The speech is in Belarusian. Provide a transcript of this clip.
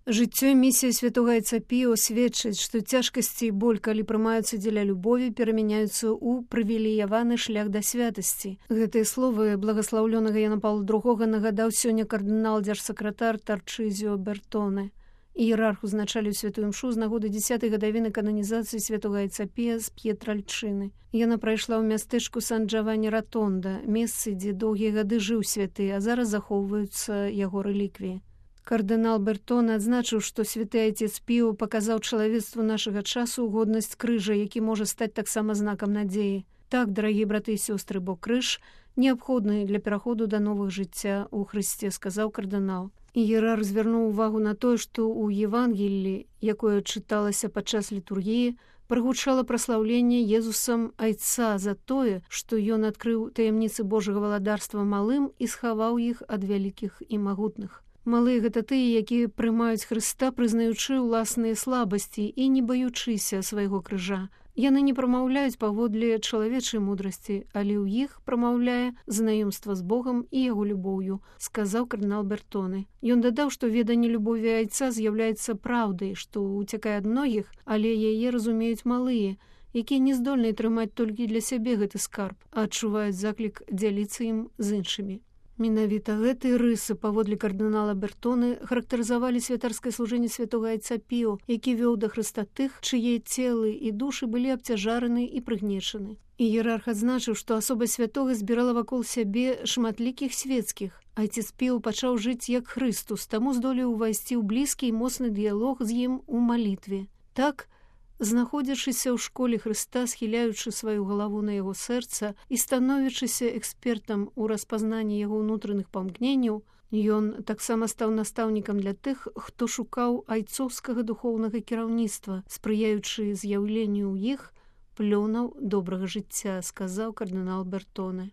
Жыццё і місія святога Айцапіо сведчаць, што цяжкасці і боль, калі прымаюцца дзеля любові, перамяняюцца ў прывілеяваны шлях да святасці. Гэтыя словы благаслаўлёнага Яна Паўла II нагадаў сёння кардынал-дзяржсакратар Тарчызіо Бертоне. Іерарх узначаліў святую імшу з нагоды 10-й гадавіны кананізацыі святога Айцапія з П'етральчыны. Яна прайшла ў мястэчку Сан-Джавані-Ратонда, месцы, дзе доўгія гады жыў святы, а зараз захоўваюцца яго рэліквіі. Кардынал Бертоне адзначыў, што святы айцец Піо паказаў чалавецтву нашага часу годнасць крыжа, які можа стаць таксама знакам надзеі. Так, дарагія браты і сёстры, бо крыж неабходны для пераходу да новых жыцця ў Хрысце, сказаў кардынал. Іерарх звярнуў увагу на тое, што ў Евангеллі, якое чыталася падчас літургіі, прагучала праслаўленне Езусам айца за тое, што ён адкрыў таямніцы Божага валадарства малым і схаваў іх ад вялікіх і магутных. Малыя гэта тыя, якія прымаюць Хрыста, прызнаючы ўласныя слабасці і не баючыся свайго крыжа. Яны не прамаўляюць паводле чалавечай мудрасці, але ў іх прамаўляе знаёмства з Богам і яго любоўю, сказаў кардынал Бертоне. Ён дадаў, што веданне любові айца з'яўляецца праўдай, што уцякае ад многіх, але яе разумеюць малыя, якія не здольныя трымаць толькі для сябе гэты скарб, а адчуваюць заклік дзяліцца ім з іншымі. Менавіта гэтыя рысы, паводле кардынала Бертоне, характарызавалі святарскае служэнне святога Айцапіо, які вёў да Хрыста тых, чые целы і душы былі абцяжараны і прыгнечаны. Іерарх адзначыў, што асоба святога збірала вакол сябе шматлікіх свецкіх. Айцец Піо пачаў жыць як Хрыстус, таму здолеў увайсці ў блізкі і моцны дыялог з ім у малітве. Так, знаходзячыся ў школе Хрыста, схіляючы сваю галаву на яго сэрца і становячыся экспертам у распазнанні яго ўнутраных памкненняў, ён таксама стаў настаўнікам для тых, хто шукаў айцоўскага духоўнага кіраўніцтва, спрыяючы з'яўленню ў іх плёнаў добрага жыцця, сказаў кардынал Бертоне.